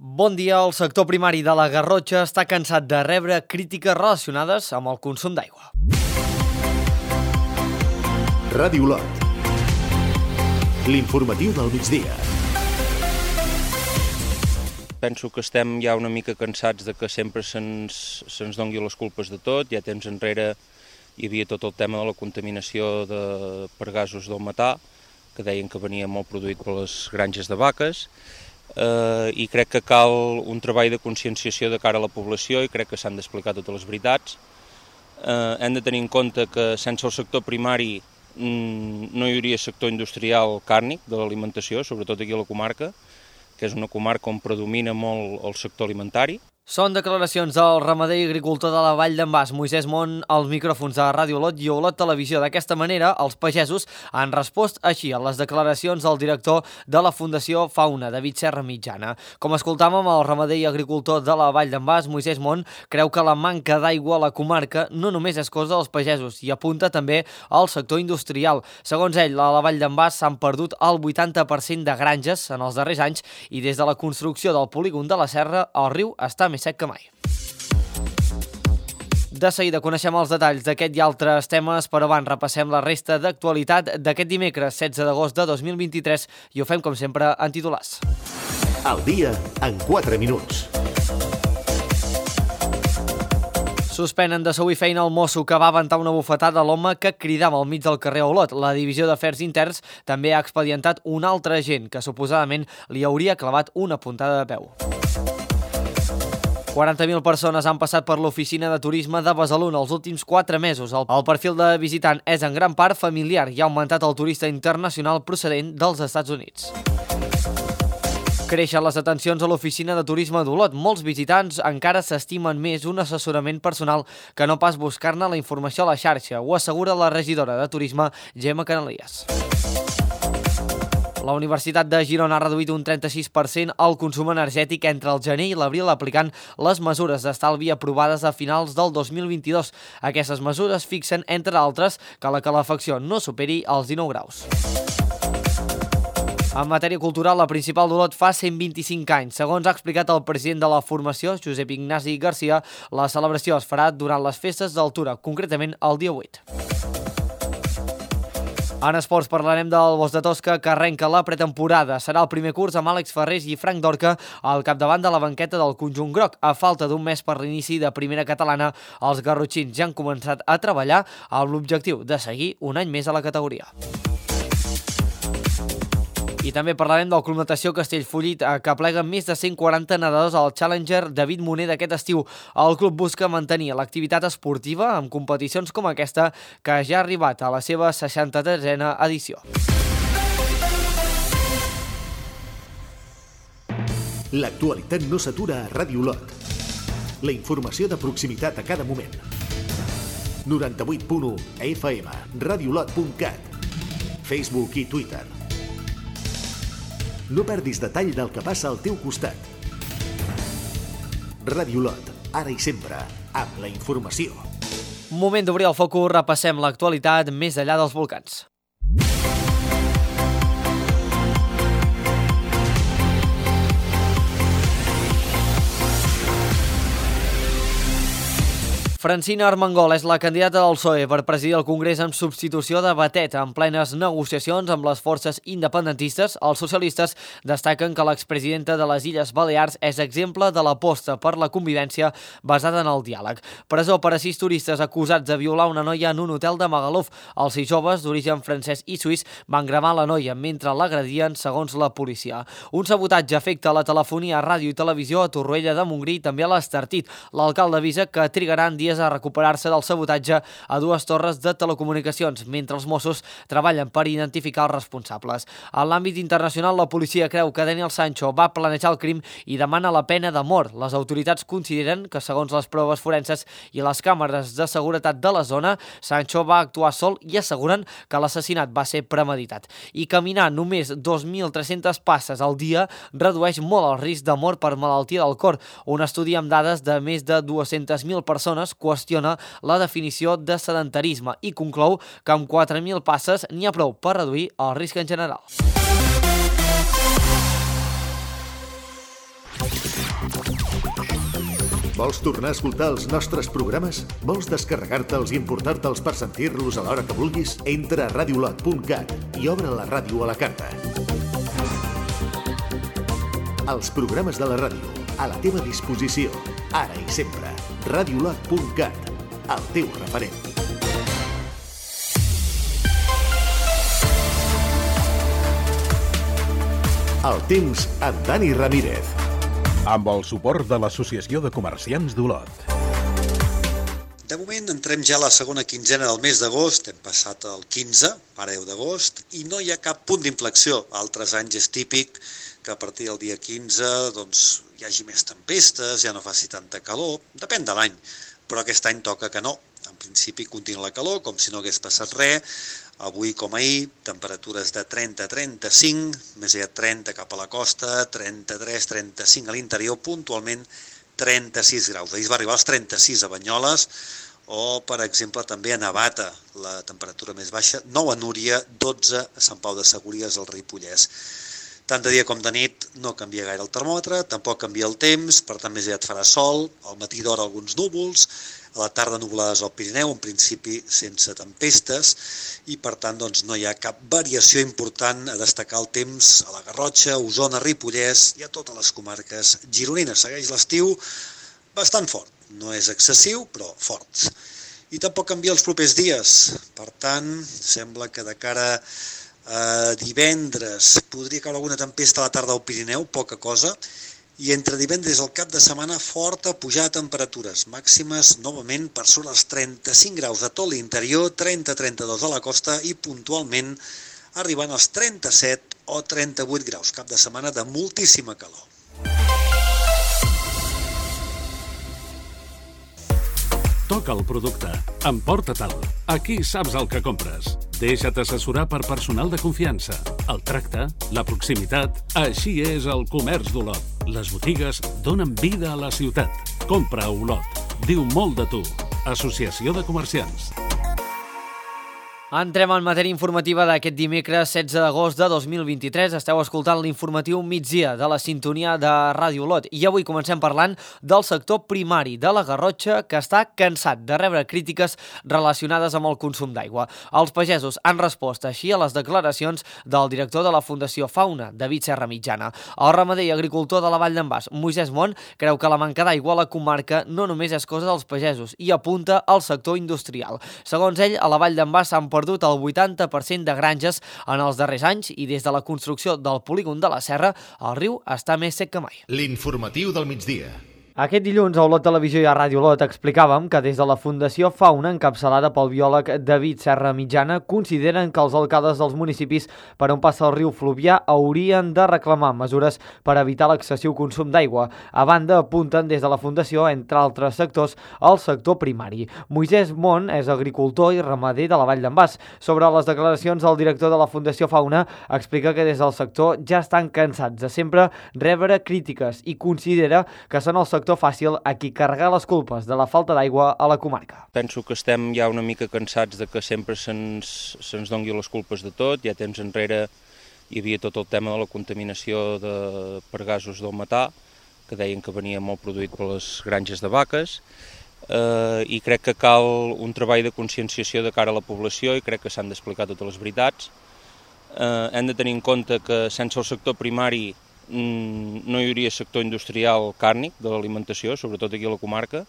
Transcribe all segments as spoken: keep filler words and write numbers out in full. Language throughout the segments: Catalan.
Bon dia. El sector primari de la Garrotxa està cansat de rebre crítiques relacionades amb el consum d'aigua. Ràdio Olot. L'informatiu del migdia. Penso que estem ja una mica cansats de que sempre se'ns se'ns dongui les culpes de tot. Ja temps enrere hi havia tot el tema de la contaminació de, per gasos del metà, que deien que venia molt produït per les granges de vaques, eh, i crec que cal un treball de conscienciació de cara a la població i crec que s'han d'explicar totes les veritats. Eh, hem de tenir en compte que sense el sector primari mm, no hi hauria sector industrial càrnic de l'alimentació, sobretot aquí a la comarca, que és una comarca on predomina molt el sector alimentari. Són declaracions del ramader i agricultor de la Vall d'en Bas, Moisès Mont, als micròfons de Ràdio Olot i Olot Televisió. D'aquesta manera, els pagesos han respost així a les declaracions del director de la Fundació Fauna, David Serra Mitjana. Com escoltàvem, el ramader i agricultor de la Vall d'en Bas, Moisès Mont, creu que la manca d'aigua a la comarca no només és cosa dels pagesos i apunta també al sector industrial. Segons ell, a la Vall d'en Bas s'han perdut el vuitanta per cent de granges en els darrers anys i des de la construcció del polígon de la Serra, el riu està més sec que mai. De seguida coneixem els detalls d'aquest i altres temes, però abans repassem la resta d'actualitat d'aquest dimecres setze d'agost de dos mil vint-i-tres i ho fem com sempre en titulars. Al dia en quatre minuts. Suspenen de sou i feina el mosso que va aventar una bufetada a l'home que cridava al mig del carrer Olot. La divisió d'afers interns també ha expedientat un altre agent que suposadament li hauria clavat una puntada de peu. quaranta mil persones han passat per l'oficina de turisme de Besalú els últims quatre mesos. El, el perfil de visitant és en gran part familiar i ha augmentat el turista internacional procedent dels Estats Units. Creixen les atencions a l'oficina de turisme d'Olot. Molts visitants encara s'estimen més un assessorament personal que no pas buscar-ne la informació a la xarxa, ho assegura la regidora de turisme, Gemma Canalies. La Universitat de Girona ha reduït un trenta-sis per cent el consum energètic entre el gener i l'abril aplicant les mesures d'estalvi aprovades a finals del dos mil vint-i-dos. Aquestes mesures fixen, entre altres, que la calefacció no superi els dinou graus. En matèria cultural, la principal d'Olot fa cent vint-i-cinc anys. Segons ha explicat el president de la formació, Josep Ignasi Garcia, la celebració es farà durant les festes d'Altura, concretament el dia vuit. En esports parlarem del Bosch de Tosca, que arrenca la pretemporada. Serà el primer curs amb Àlex Ferrés i Frank Dorca al capdavant de la banqueta del conjunt groc. A falta d'un mes per l'inici de primera catalana, els garrotxins ja han començat a treballar amb l'objectiu de seguir un any més a la categoria. I també parlarem del Club Natació Castellfollit, que plega més de cent quaranta nedadors al Challenger David Moner d'aquest estiu. El club busca mantenir l'activitat esportiva amb competicions com aquesta, que ja ha arribat a la seva seixanta-tresena edició. L'actualitat no s'atura a Ràdio Olot. La informació de proximitat a cada moment. noranta-vuit punt u F M, radiolot punt cat, Facebook i Twitter. No perdis detall del que passa al teu costat. Ràdio Olot, ara i sempre, amb la informació. Moment d'obrir el focus, repassem l'actualitat més enllà dels volcans. Francina Armengol és la candidata del P S O E per presidir el Congrés en substitució de Batet. En plenes negociacions amb les forces independentistes, els socialistes destaquen que l'expresidenta de les Illes Balears és exemple de l'aposta per la convivència basada en el diàleg. Presó per a sis turistes acusats de violar una noia en un hotel de Magaluf. Els sis joves, d'origen francès i suís, van gravar la noia mentre l'agredien, segons la policia. Un sabotatge afecta la telefonia, ràdio i televisió a Torroella de Montgrí i també a l'Estartit. L'alcalde avisa que trigaran dies a recuperar-se del sabotatge a dues torres de telecomunicacions, mentre els Mossos treballen per identificar els responsables. En l'àmbit internacional, la policia creu que Daniel Sancho va planejar el crim i demana la pena de mort. Les autoritats consideren que, segons les proves forenses i les càmeres de seguretat de la zona, Sancho va actuar sol i asseguren que l'assassinat va ser premeditat. I caminar només dos mil tres-centes passes al dia redueix molt el risc de mort per malaltia del cor. Un estudi amb dades de més de dues-centes mil persones qüestiona la definició de sedentarisme i conclou que amb quatre mil passes n'hi ha prou per reduir el risc en general. Vols tornar a escoltar els nostres programes? Vols descarregar-te'ls i importar-te'ls per sentir-los a l'hora que vulguis? Entra a radiolot punt cat i obre la ràdio a la carta. Els programes de la ràdio, a la teva disposició, ara i sempre. radiolot punt cat, el teu referent. El temps amb Dani Ramírez. Amb el suport de l'Associació de Comerciants d'Olot. De moment entrem ja a la segona quinzena del mes d'agost, hem passat el quinze, ara deu d'agost, i no hi ha cap punt d'inflexió. Altres anys és típic que a partir del dia quinze doncs, hi hagi més tempestes, ja no faci tanta calor, depèn de l'any, però aquest any toca que no. En principi continua la calor, com si no hagués passat res. Avui com ahir, temperatures de trenta a trenta-cinc, més aviat trenta cap a la costa, trenta-tres a trenta-cinc a l'interior, puntualment trenta-sis graus. Ahir es va arribar als trenta-sis a Banyoles, o per exemple també a Navata, la temperatura més baixa, nou a Núria, dotze a Sant Pau de Segúries, al Ripollès. Tant de dia com de nit no canvia gaire el termòmetre, tampoc canvia el temps, per tant més aviat farà sol, al matí d'hora alguns núvols, a la tarda nuvolades al Pirineu, en principi sense tempestes, i per tant doncs, no hi ha cap variació important a destacar el temps a la Garrotxa, Osona, Ripollès i a totes les comarques gironines. Segueix l'estiu bastant fort, no és excessiu, però fort. I tampoc canvia els propers dies, per tant, sembla que de cara a divendres podria caure alguna tempesta a la tarda al Pirineu, poca cosa, i entre divendres al cap de setmana forta pujada de temperatures, màximes novament per sobre els trenta-cinc graus a tot l'interior, trenta a trenta-dos a la costa i puntualment arribant als trenta-set o trenta-vuit graus, cap de setmana de moltíssima calor. Toca el producte, emporta-te'l, aquí saps el que compres. Deixa't assessorar per personal de confiança. El tracte, la proximitat, així és el comerç d'Olot. Les botigues donen vida a la ciutat. Compra a Olot. Diu molt de tu. Associació de Comerciants. Entrem en matèria informativa d'aquest dimecres setze d'agost de dos mil vint-i-tres. Esteu escoltant l'informatiu migdia de la sintonia de Ràdio Olot. I avui comencem parlant del sector primari de la Garrotxa, que està cansat de rebre crítiques relacionades amb el consum d'aigua. Els pagesos han respost així a les declaracions del director de la Fundació Fauna, David Serra Mitjana. El ramader i agricultor de la Vall d'en Bas, Moisès Mont, creu que la manca d'aigua a la comarca no només és cosa dels pagesos i apunta al sector industrial. Segons ell, a la Vall d'en Bas s'han perdut el vuitanta per cent de granges en els darrers anys i des de la construcció del polígon de la Serra, el riu està més sec que mai. L'informatiu del migdia. Aquest dilluns a Olot Televisió i a Ràdio Olot explicàvem que des de la Fundació Fauna, encapçalada pel biòleg David Serra Mitjana, consideren que els alcaldes dels municipis per on passa el riu Fluvià haurien de reclamar mesures per evitar l'excessiu consum d'aigua. A banda, apunten des de la Fundació, entre altres sectors, el sector primari. Moisès Mont és agricultor i ramader de la Vall d'en Bas. Sobre les declaracions del director de la Fundació Fauna, explica que des del sector ja estan cansats de sempre rebre crítiques i considera que són els sectors fàcil a qui carregar les culpes de la falta d'aigua a la comarca. Penso que estem ja una mica cansats de que sempre se'ns se'ns dongui les culpes de tot. Ja temps enrere hi havia tot el tema de la contaminació de, per gasos del metà, que deien que venia molt produït per les granges de vaques, eh, i crec que cal un treball de conscienciació de cara a la població i crec que s'han d'explicar totes les veritats. Eh, hem de tenir en compte que sense el sector primari no hi hauria sector industrial càrnic de l'alimentació, sobretot aquí a la comarca,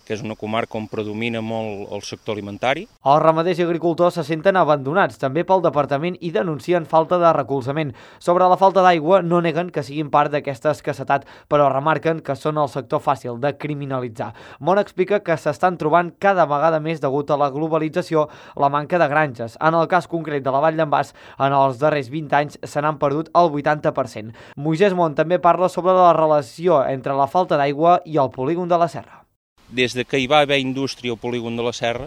que és una comarca on predomina molt el sector alimentari. Els ramaders i agricultors se senten abandonats també pel departament i denuncien falta de recolzament. Sobre la falta d'aigua no neguen que siguin part d'aquesta escassetat, però remarquen que són el sector fàcil de criminalitzar. Mont explica que s'estan trobant cada vegada més degut a la globalització la manca de granges. En el cas concret de la Vall d'en Bas, en els darrers vint anys se n'han perdut el vuitanta per cent. Moisès Mont també parla sobre la relació entre la falta d'aigua i el polígon de la Serra. Des de que hi va haver indústria al polígon de la Serra,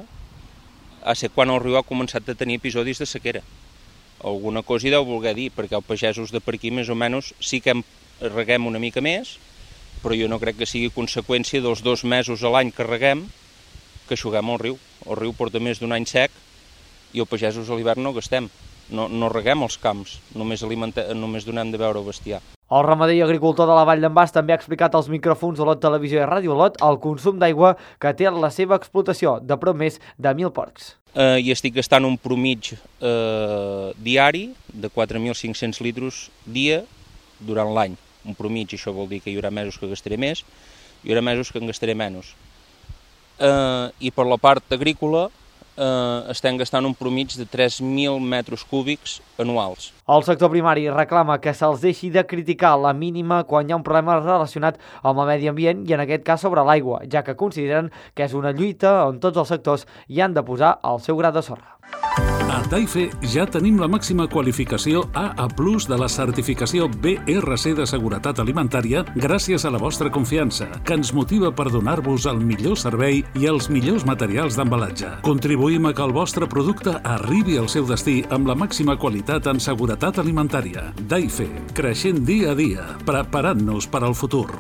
a ser quan el riu ha començat a tenir episodis de sequera. Alguna cosa hi deu voler dir, perquè els pagesos de per aquí més o menys sí que reguem una mica més, però jo no crec que sigui conseqüència dels dos mesos a l'any que reguem que aixuguem el riu. El riu porta més d'un any sec i els pagesos a l'hivern no gastem. no, no reguem els camps, només, només donem de beure al bestiar. El ramader i agricultor de la Vall d'en Bas també ha explicat als micròfons d'Olot Televisió i Ràdio Olot el consum d'aigua que té la seva explotació, de prop més de mil porcs. Eh, I estic gastant un promig eh, diari de quatre mil cinc-cents litres dia durant l'any. Un promig, això vol dir que hi haurà mesos que gastaré més, hi haurà mesos que en gastaré menys. Eh, I per la part agrícola eh, estem gastant un promig de tres mil metres cúbics anuals. El sector primari reclama que se'ls deixi de criticar la mínima quan hi ha un problema relacionat amb el medi ambient i en aquest cas sobre l'aigua, ja que consideren que és una lluita on tots els sectors hi han de posar el seu gra de sorra. A Taife ja tenim la màxima qualificació A A plus de la certificació B R C de seguretat alimentària gràcies a la vostra confiança, que ens motiva per donar-vos el millor servei i els millors materials d'embalatge. Contribuïm a que el vostre producte arribi al seu destí amb la màxima qualitat en seguretat alimentària. Taife, creixent dia a dia, preparant-nos per al futur.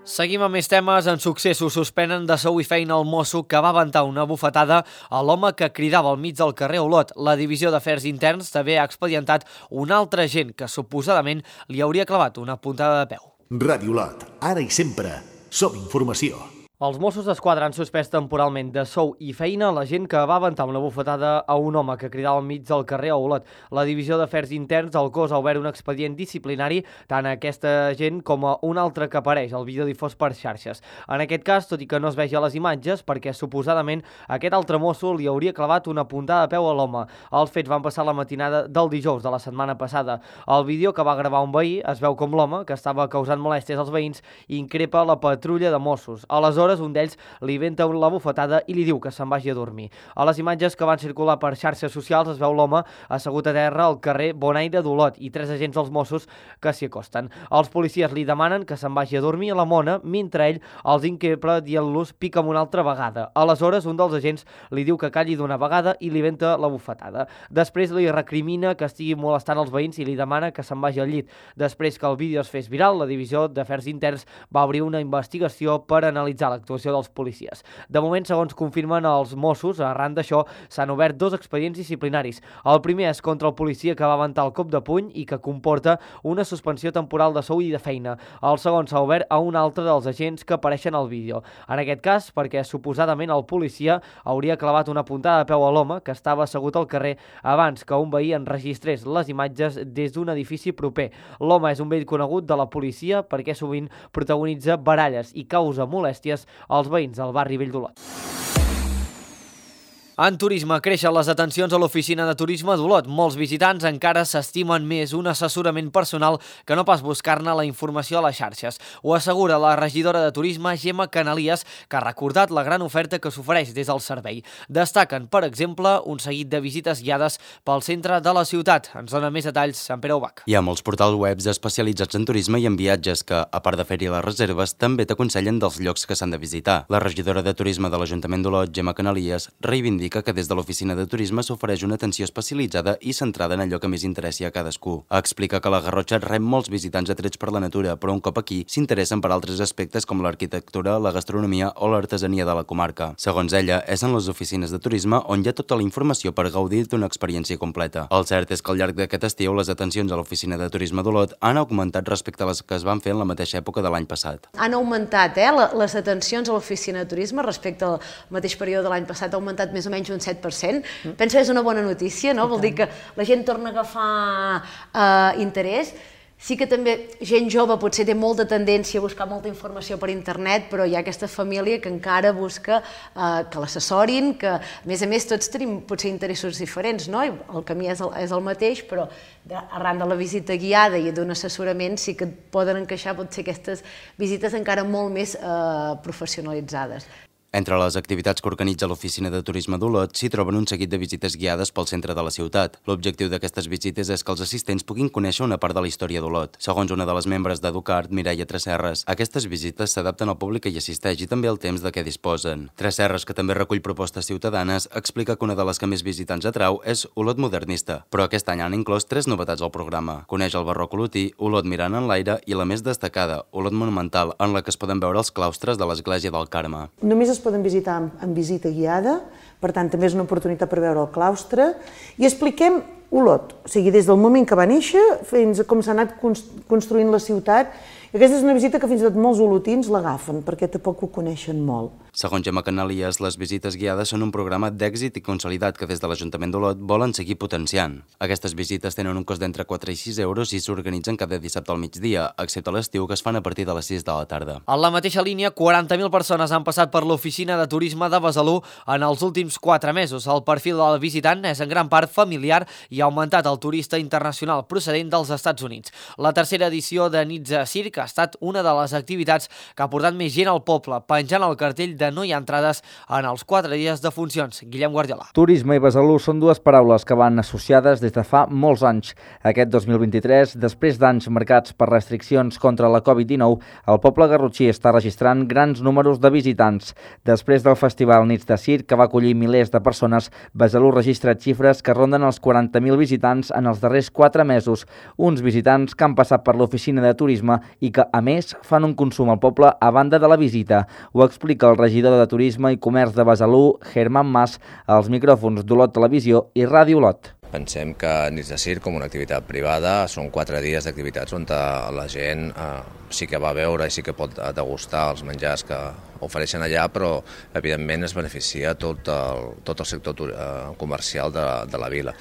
Seguim amb més temes. En successos suspenen de sou i feina el mosso que va aventar una bufetada a l'home que cridava al mig del carrer Olot. La Divisió d'Afers Interns també ha expedientat un altre agent que suposadament li hauria clavat una puntada de peu. Ràdio Olot, ara i sempre, som informació. Els Mossos d'Esquadra han suspès temporalment de sou i feina la gent que va aventar una bufetada a un home que cridava al mig del carrer a Olot. La Divisió d'Afers Interns del cos ha obert un expedient disciplinari tant a aquesta gent com a un altre que apareix al vídeo difós per xarxes. En aquest cas, tot i que no es vegi a les imatges, perquè suposadament aquest altre mosso li hauria clavat una puntada de peu a l'home. Els fets van passar la matinada del dijous de la setmana passada. Al vídeo que va gravar un veí es veu com l'home, que estava causant molèsties als veïns, increpa la patrulla de Mossos. Aleshores, un d'ells li venta la bufetada i li diu que se'n vagi a dormir. A les imatges que van circular per xarxes socials es veu l'home assegut a terra al carrer Bonaire d'Olot i tres agents dels Mossos que s'hi acosten. Els policies li demanen que se'n vagi a dormir a la mona, mentre ell els increpa dient-los pica'm una altra vegada. Aleshores, un dels agents li diu que calli d'una vegada i li venta la bufetada. Després li recrimina que estigui molestant els veïns i li demana que se'n vagi al llit. Després que el vídeo es fes viral, la Divisió d'Afers Interns va obrir una investigació per analitzar l'actuació dels policies. De moment, segons confirmen els Mossos, arran d'això s'han obert dos expedients disciplinaris. El primer és contra el policia que va aventar el cop de puny i que comporta una suspensió temporal de sou i de feina. El segon s'ha obert a un altre dels agents que apareixen al vídeo. En aquest cas, perquè suposadament el policia hauria clavat una puntada de peu a l'home que estava assegut al carrer abans que un veí enregistrés les imatges des d'un edifici proper. L'home és un vell conegut de la policia perquè sovint protagonitza baralles i causa molèsties als veïns del barri Vell d'Olot. En turisme, creixen les atencions a l'oficina de turisme d'Olot. Molts visitants encara s'estimen més un assessorament personal que no pas buscar-ne la informació a les xarxes. Ho assegura la regidora de turisme, Gemma Canalies, que ha recordat la gran oferta que s'ofereix des del servei. Destaquen, per exemple, un seguit de visites guiades pel centre de la ciutat. Ens dona més detalls Sant Pere Ubach. Hi ha molts portals webs especialitzats en turisme i en viatges que, a part de fer-hi les reserves, també t'aconsellen dels llocs que s'han de visitar. La regidora de turisme de l'Ajuntament d'Olot, Gemma Canalies, reivindica que des de l'oficina de turisme s'ofereix una atenció especialitzada i centrada en allò que més interessi a cadascú. Explica que la Garrotxa rep molts visitants atrets per la natura, però un cop aquí s'interessen per altres aspectes com l'arquitectura, la gastronomia o l'artesania de la comarca. Segons ella, és en les oficines de turisme on hi ha tota la informació per gaudir d'una experiència completa. El cert és que al llarg d'aquest estiu les atencions a l'oficina de turisme d'Olot han augmentat respecte a les que es van fer en la mateixa època de l'any passat. Han augmentat eh, les atencions a l'oficina de turisme respecte al mateix període de l'any passat, ha augmentat més o menys un set per cent. Penso que és una bona notícia, no? Vol dir que la gent torna a agafar eh, interès. Sí que també gent jove potser té molta tendència a buscar molta informació per internet, però hi ha aquesta família que encara busca eh, que l'assessorin, que a més a més tots tenim potser interessos diferents, no? El camí és el, és el mateix, però arran de la visita guiada i d'un assessorament sí que poden encaixar potser aquestes visites encara molt més eh, professionalitzades. Entre les activitats que organitza l'Oficina de Turisme d'Olot s'hi troben un seguit de visites guiades pel centre de la ciutat. L'objectiu d'aquestes visites és que els assistents puguin conèixer una part de la història d'Olot. Segons una de les membres d'Educart, Mireia Tresserres, aquestes visites s'adapten al públic que hi assisteix i també al temps de què disposen. Tresserres, que també recull propostes ciutadanes, explica que una de les que més visitants atrau és Olot modernista, però aquest any han inclòs tres novetats al programa. Coneix el barroc olotí, Olot mirant en l'aire i la més destacada, Olot monumental, en la que es poden veure els claustres de l'església del Carme. Només es poden visitar amb visita guiada, per tant també és una oportunitat per veure el claustre, i expliquem Olot, o sigui, des del moment que va néixer fins a com s'ha anat construint la ciutat. I aquesta és una visita que fins i tot molts olotins l'agafen, perquè tampoc ho coneixen molt. Segons Gemma Canalies, les visites guiades són un programa d'èxit i consolidat que des de l'Ajuntament d'Olot volen seguir potenciant. Aquestes visites tenen un cost d'entre quatre i sis euros i s'organitzen cada dissabte al migdia, excepte a l'estiu, que es fan a partir de les sis de la tarda. En la mateixa línia, quaranta mil persones han passat per l'oficina de turisme de Besalú en els últims quatre mesos. El perfil del visitant és en gran part familiar i ha augmentat el turista internacional procedent dels Estats Units. La tercera edició de Nits a Circ ha estat una de les activitats que ha portat més gent al poble, penjant el cartell de no hi ha entrades en els quatre dies de funcions. Guillem Guardiola. Turisme i Besalú són dues paraules que van associades des de fa molts anys. Aquest dos mil vint-i-tres, després d'anys marcats per restriccions contra la covid dinou, el poble garrotxí està registrant grans números de visitants. Després del festival Nits de Circ, que va acollir milers de persones, Besalú registra xifres que ronden els quaranta mil visitants en els darrers quatre mesos. Uns visitants que han passat per l'oficina de turisme i que, a més, fan un consum al poble a banda de la visita. Ho explica el regidor de Turisme i Comerç de Besalú, Germán Mas, als micròfons d'Olot Televisió i Ràdio Olot. Pensem que Nits de Circ, com una activitat privada, són quatre dies d'activitats on la gent eh, sí que va a veure i sí que pot degustar els menjars que ofereixen allà, però evidentment es beneficia tot el, tot el sector eh, comercial de, de la vila.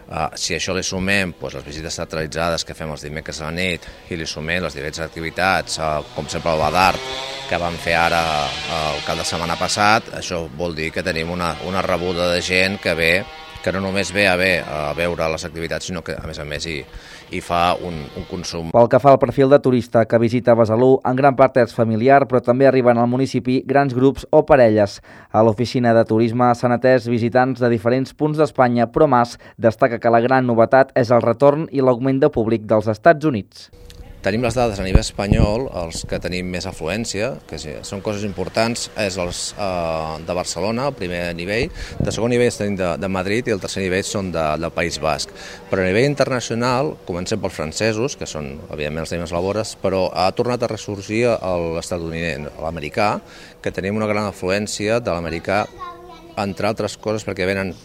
Uh, si això li sumem doncs, les visites teatralitzades que fem els dimecres a la nit i li sumem les diverses activitats, uh, com sempre el Badart, que vam fer ara uh, el cap de setmana passat, això vol dir que tenim una, una rebuda de gent que ve, que no només ve a, ve a veure les activitats, sinó que a més a més hi, hi fa un, un consum. Pel que fa al perfil de turista que visita Besalú, en gran part és familiar, però també arriben al municipi grans grups o parelles. A l'oficina de turisme s'han atès visitants de diferents punts d'Espanya, però Mas destaca que la gran novetat és el retorn i l'augment de públic dels Estats Units. Tenim les dades a nivell espanyol, els que tenim més afluència, que són coses importants, és els eh, de Barcelona, el primer nivell, de segon nivell tenim de, de Madrid i el tercer nivell són de, del País Basc. Però a nivell internacional, comencem pels francesos, que són, evidentment, els tenim les labores, però ha tornat a ressorgir l'estatunidenc, l'americà, que tenim una gran afluència de l'americà, entre altres coses perquè venen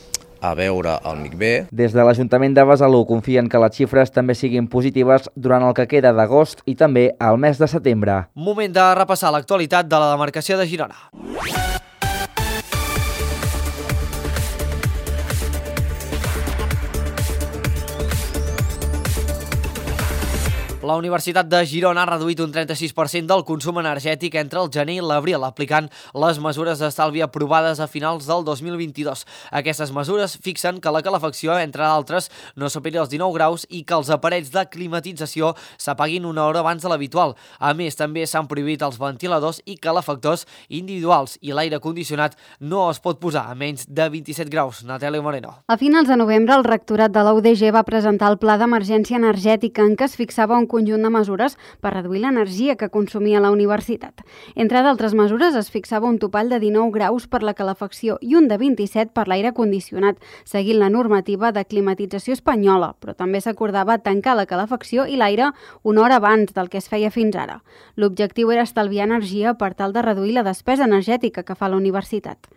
a veure el M I C B. Des de l'Ajuntament de Besalú confien que les xifres també siguin positives durant el que queda d'agost i també al mes de setembre. Moment de repassar l'actualitat de la demarcació de Girona. La Universitat de Girona ha reduït un trenta-sis per cent del consum energètic entre el gener i l'abril, aplicant les mesures d'estalvi aprovades a finals del dos mil vint-i-dos. Aquestes mesures fixen que la calefacció, entre altres, no superi els dinou graus i que els aparells de climatització s'apaguin una hora abans de l'habitual. A més, també s'han prohibit els ventiladors i calefactors individuals i l'aire condicionat no es pot posar a menys de vint-i-set graus. Natàlia Moreno. A finals de novembre, el rectorat de la U D G va presentar el Pla d'Emergència Energètica en què es fixava un conjunt de mesures per reduir l'energia que consumia la universitat. Entre d'altres mesures es fixava un topall de dinou graus per la calefacció i un de vint-i-set per l'aire condicionat, seguint la normativa de climatització espanyola, però també s'acordava tancar la calefacció i l'aire una hora abans del que es feia fins ara. L'objectiu era estalviar energia per tal de reduir la despesa energètica que fa la universitat.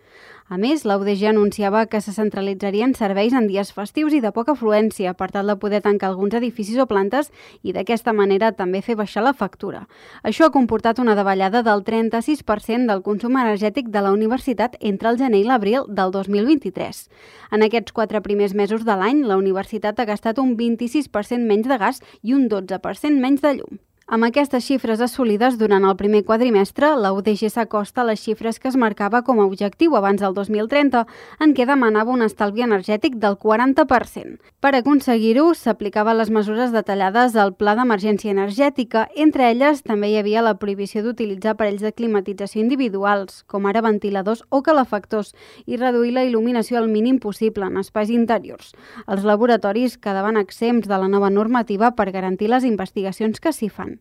A més, la U D G anunciava que se centralitzarien serveis en dies festius i de poca afluència per tal de poder tancar alguns edificis o plantes i d'aquesta manera també fer baixar la factura. Això ha comportat una davallada del trenta-sis per cent del consum energètic de la universitat entre el gener i l'abril del dos mil vint-i-tres. En aquests quatre primers mesos de l'any, la universitat ha gastat un vint-i-sis per cent menys de gas i un dotze per cent menys de llum. Amb aquestes xifres assolides durant el primer quadrimestre, la U D G s'acosta a les xifres que es marcava com a objectiu abans del dos mil trenta, en què demanava un estalvi energètic del quaranta per cent. Per aconseguir-ho, s'aplicaven les mesures detallades al Pla d'Emergència Energètica. Entre elles, també hi havia la prohibició d'utilitzar aparells de climatització individuals, com ara ventiladors o calefactors, i reduir la il·luminació al mínim possible en espais interiors. Els laboratoris quedaven exempts de la nova normativa per garantir les investigacions que s'hi fan.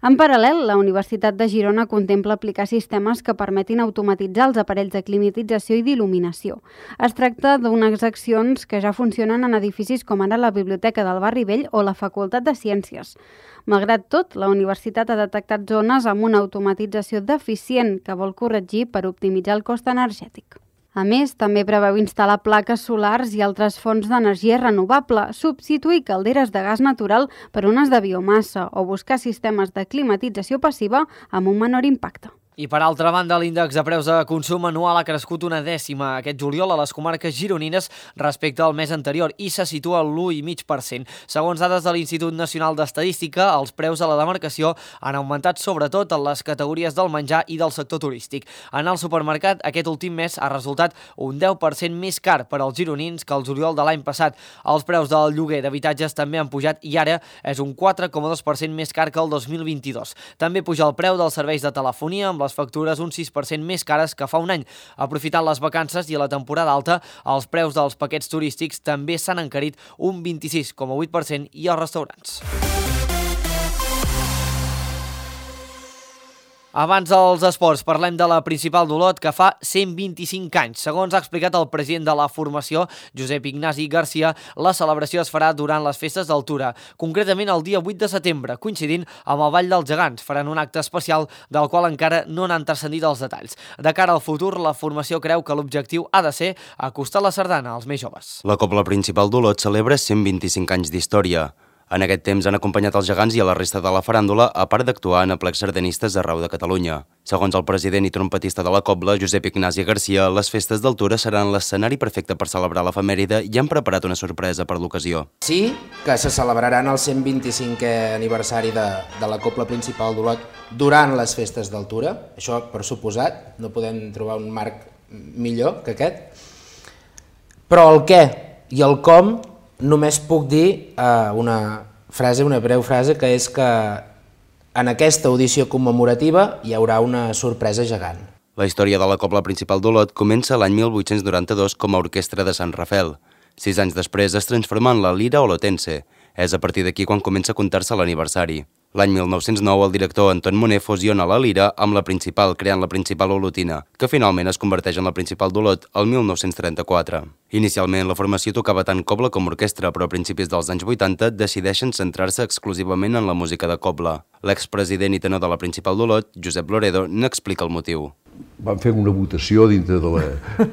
En paral·lel, la Universitat de Girona contempla aplicar sistemes que permetin automatitzar els aparells de climatització i d'il·luminació. Es tracta d'unes accions que ja funcionen en edificis com ara la Biblioteca del Barri Vell o la Facultat de Ciències. Malgrat tot, la universitat ha detectat zones amb una automatització deficient que vol corregir per optimitzar el cost energètic. A més, també preveu instal·lar plaques solars i altres fonts d'energia renovable, substituir calderes de gas natural per unes de biomassa o buscar sistemes de climatització passiva amb un menor impacte. I per altra banda, l'índex de preus de consum anual ha crescut una dècima aquest juliol a les comarques gironines respecte al mes anterior i se situa a l'u coma cinc per cent. Segons dades de l'Institut Nacional d'Estadística, els preus a la demarcació han augmentat sobretot en les categories del menjar i del sector turístic. En el supermercat, aquest últim mes ha resultat un deu per cent més car per als gironins que el juliol de l'any passat. Els preus del lloguer d'habitatges també han pujat i ara és un quatre coma dos per cent més car que el dos mil vint-i-dos. També puja el preu dels serveis de telefonia amb les factures un sis per cent més cares que fa un any. Aprofitant les vacances i la temporada alta, els preus dels paquets turístics també s'han encarit un vint-i-sis coma vuit per cent i els restaurants. Abans dels esports, parlem de la Principal d'Olot, que fa cent vint-i-cinc anys. Segons ha explicat el president de la formació, Josep Ignasi Garcia, la celebració es farà durant les festes d'Altura, concretament el dia vuit de setembre, coincidint amb el Ball dels Gegants. Faran un acte especial del qual encara no n'han transcendit els detalls. De cara al futur, la formació creu que l'objectiu ha de ser acostar la sardana als més joves. La Cobla Principal d'Olot celebra cent vint-i-cinc anys d'història. En aquest temps han acompanyat els gegants i a la resta de la faràndula, a part d'actuar en aplecs sardanistes arreu de Catalunya. Segons el president i trompetista de la Cobla, Josep Ignasi Garcia, les festes d'Altura seran l'escenari perfecte per celebrar l'efemèride i han preparat una sorpresa per l'ocasió. Sí que se celebraran el cent vint-i-cinquè aniversari de, de la Cobla Principal d'Olot durant les festes d'Altura. Això, per suposat, no podem trobar un marc millor que aquest. Però el què i el com només puc dir uh, una frase, una breu frase, que és que en aquesta audició commemorativa hi haurà una sorpresa gegant. La història de la Cobla Principal d'Olot comença l'any mil vuit-cents noranta-dos com a orquestra de Sant Rafel. Sis anys després es transforma en la Lira Olotense. És a partir d'aquí quan comença a comptar-se l'aniversari. L'any mil nou-cents nou, el director Anton Moner fusiona la Lira amb la Principal, creant la Principal Olotina, que finalment es converteix en la Principal d'Olot el mil nou-cents trenta-quatre. Inicialment, la formació tocava tant cobla com orquestra, però a principis dels anys vuitanta decideixen centrar-se exclusivament en la música de cobla. L'expresident i tenor de la Principal d'Olot, Josep Loredo, n'explica el motiu. Van fer una votació dintre, de la,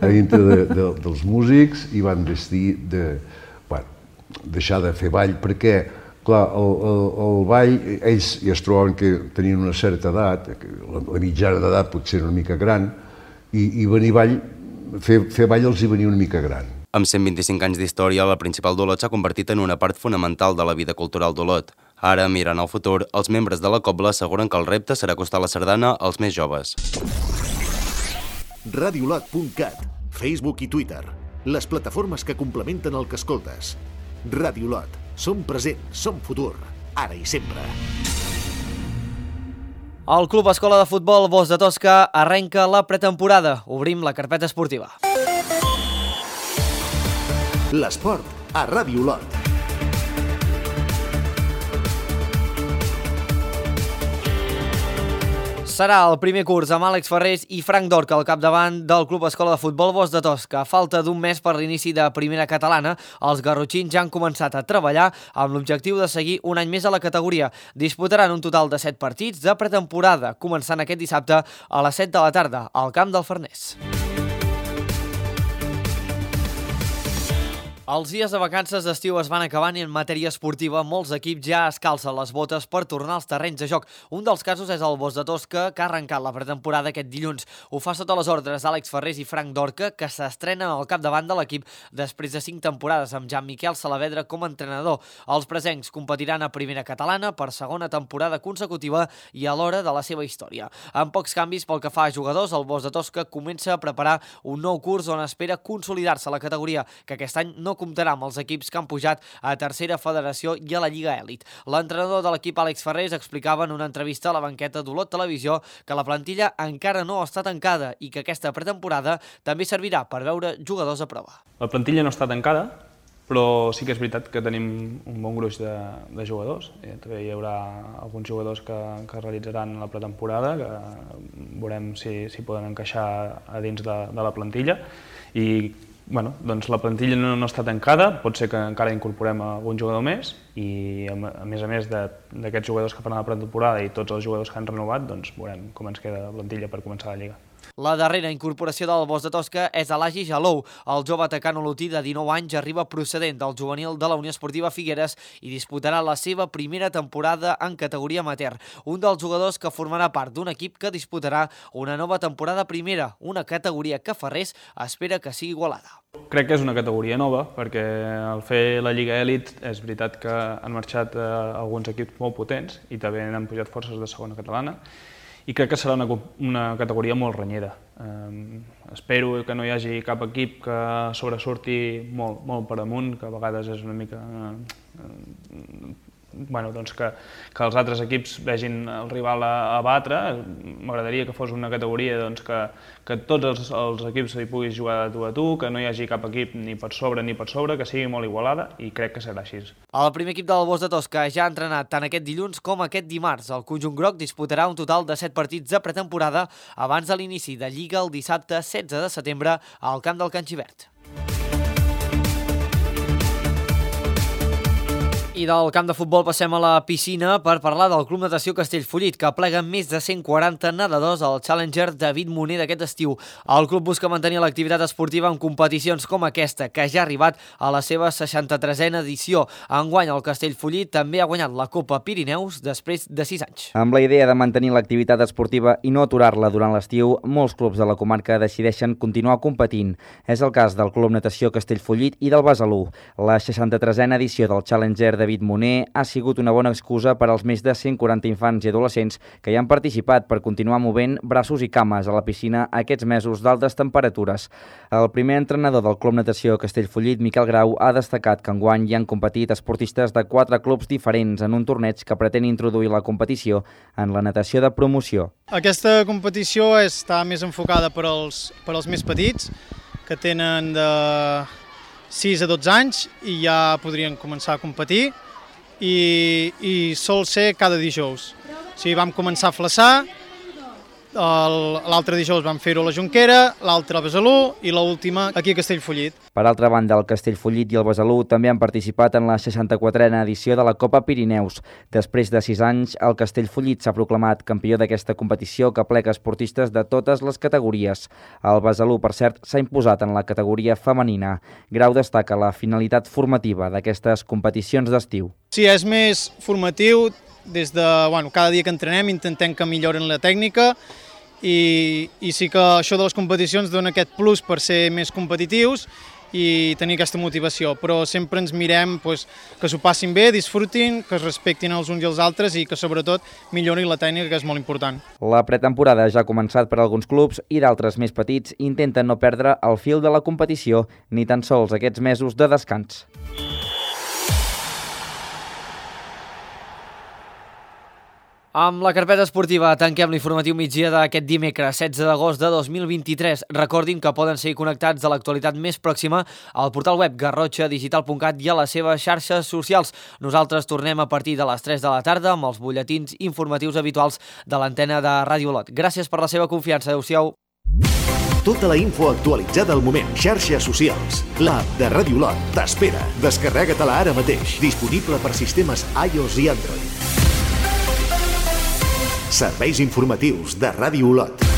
dintre de, de, dels músics i van decidir de, bueno, deixar de fer ball, perquè clar, el, el, el ball, ells ja es trobaven que tenien una certa edat, la, la mitjana d'edat potser una mica gran, i, i venir ball, fer, fer ball els hi venia una mica gran. Amb cent vint-i-cinc anys d'història, la Principal d'Olot s'ha convertit en una part fonamental de la vida cultural d'Olot. Ara, mirant al futur, els membres de la Cobla asseguren que el repte serà acostar la sardana als més joves. radiolot punt cat, Facebook i Twitter, les plataformes que complementen el que escoltes. Radiolot. Som present, som futur, ara i sempre. El Club Escola de Futbol Bosc de Tosca arrenca la pretemporada. Obrim la carpeta esportiva. L'esport a Radiolot. Serà el primer curs amb Àlex Ferrés i Frank Dorca al capdavant del Club Escola de Futbol Bosc de Tosca. A falta d'un mes per l'inici de primera catalana, els garrotxins ja han començat a treballar amb l'objectiu de seguir un any més a la categoria. Disputaran un total de set partits de pretemporada, començant aquest dissabte a les set de la tarda al camp del Farners. Els dies de vacances d'estiu es van acabant i en matèria esportiva molts equips ja es calcen les botes per tornar als terrenys de joc. Un dels casos és el Bosc de Tosca, que ha arrencat la pretemporada aquest dilluns. Ho fa sota les ordres d'Àlex Ferrés i Frank Dorca, que s'estrenen al capdavant de l'equip després de cinc temporades amb Jean-Miquel Salavedra com a entrenador. Els presencs competiran a primera catalana per segona temporada consecutiva i a l'hora de la seva història. Amb pocs canvis pel que fa a jugadors, el Bosc de Tosca comença a preparar un nou curs on espera consolidar-se a la categoria, que aquest any no comptarà amb els equips que han pujat a tercera federació i a la Lliga Èlit. L'entrenador de l'equip, Àlex Ferrés, explicava en una entrevista a la banqueta d'Olot Televisió que la plantilla encara no està tancada i que aquesta pretemporada també servirà per veure jugadors a prova. La plantilla no està tancada, però sí que és veritat que tenim un bon gruix de, de jugadors. També hi haurà alguns jugadors que, que realitzaran la pretemporada, que veurem si, si poden encaixar a dins de, de la plantilla. I bueno, doncs la plantilla no, no està tancada, pot ser que encara incorporem algun jugador més i a, a més a més d'aquests jugadors que faran la pretemporada i tots els jugadors que han renovat, doncs veurem com ens queda la plantilla per començar la Lliga. La darrera incorporació del Bosc de Tosca és Elagi Jalou. El jove atacant olotí de dinou anys arriba procedent del juvenil de la Unió Esportiva Figueres i disputarà la seva primera temporada en categoria amateur. Un dels jugadors que formarà part d'un equip que disputarà una nova temporada primera, una categoria que Ferrés espera que sigui igualada. Crec que és una categoria nova, perquè al fer la Lliga Elit és veritat que han marxat eh, alguns equips molt potents i també han pujat forces de segona catalana, i crec que serà una, una categoria molt renyera. Eh, espero que no hi hagi cap equip que sobresurti molt, molt per amunt, que a vegades és una mica... Eh, bueno, doncs que, que els altres equips vegin el rival a, a batre. M'agradaria que fos una categoria doncs, que, que tots els, els equips hi puguis jugar de tu a tu, que no hi hagi cap equip ni per sobre ni per sobre, que sigui molt igualada, i crec que serà així. El primer equip del Bosc de Tosca ja ha entrenat tant aquest dilluns com aquest dimarts. El conjunt groc disputarà un total de set partits de pretemporada abans de l'inici de Lliga el dissabte setze de setembre al camp del Can Xivert. I del camp de futbol passem a la piscina per parlar del Club Natació Castellfollit, que plega més de cent quaranta nedadors al Challenger David Moner d'aquest estiu. El club busca mantenir l'activitat esportiva en competicions com aquesta, que ja ha arribat a la seva seixanta-tresena edició. Enguany, el Castellfollit també ha guanyat la Copa Pirineus després de sis anys. Amb la idea de mantenir l'activitat esportiva i no aturar-la durant l'estiu, molts clubs de la comarca decideixen continuar competint. És el cas del Club Natació Castellfollit i del Besalú. La seixanta-tresena edició del Challenger David Moner ha sigut una bona excusa per als més de cent quaranta infants i adolescents que hi han participat per continuar movent braços i cames a la piscina aquests mesos d'altes temperatures. El primer entrenador del Club Natació Castellfollit, Miquel Grau, ha destacat que enguany hi han competit esportistes de quatre clubs diferents en un torneig que pretén introduir la competició en la natació de promoció. Aquesta competició està més enfocada per als, per als més petits, que tenen de sis a dotze anys i ja podrien començar a competir, i, i sol ser cada dijous. O sigui, vam començar a flaçar, l'altre dijous vam fer-ho a la Jonquera, l'altre a Besalú i l'última aquí a Castellfollit. Per altra banda, el Castellfollit i el Besalú també han participat en la seixanta-quatrena edició de la Copa Pirineus. Després de sis anys, el Castellfollit s'ha proclamat campió d'aquesta competició que aplega esportistes de totes les categories. El Besalú, per cert, s'ha imposat en la categoria femenina. Grau destaca la finalitat formativa d'aquestes competicions d'estiu. Sí, és més formatiu. Des de, bueno, cada dia que entrenem intentem que milloren la tècnica i, i sí que això de les competicions dona aquest plus per ser més competitius i tenir aquesta motivació, però sempre ens mirem pues, que s'ho passin bé, disfrutin, que es respectin els uns i els altres i que sobretot millorin la tècnica, que és molt important. La pretemporada ja ha començat per alguns clubs i d'altres més petits intenten no perdre el fil de la competició ni tan sols aquests mesos de descans. Amb la carpeta esportiva tanquem l'informatiu migdia d'aquest dimecres setze d'agost de dos mil vint-i-tres. Recordin que poden seguir connectats a l'actualitat més pròxima al portal web garrotxa digital punt cat i a les seves xarxes socials. Nosaltres tornem a partir de les tres de la tarda amb els butlletins informatius habituals de l'antena de Ràdio Olot. Gràcies per la seva confiança. Adéu-siau. Tota la info actualitzada al moment. Xarxes socials. L'app de Ràdio Olot t'espera. Descarrega-te-la ara mateix. Disponible per sistemes iOS i Android. Serveis informatius de Ràdio Olot.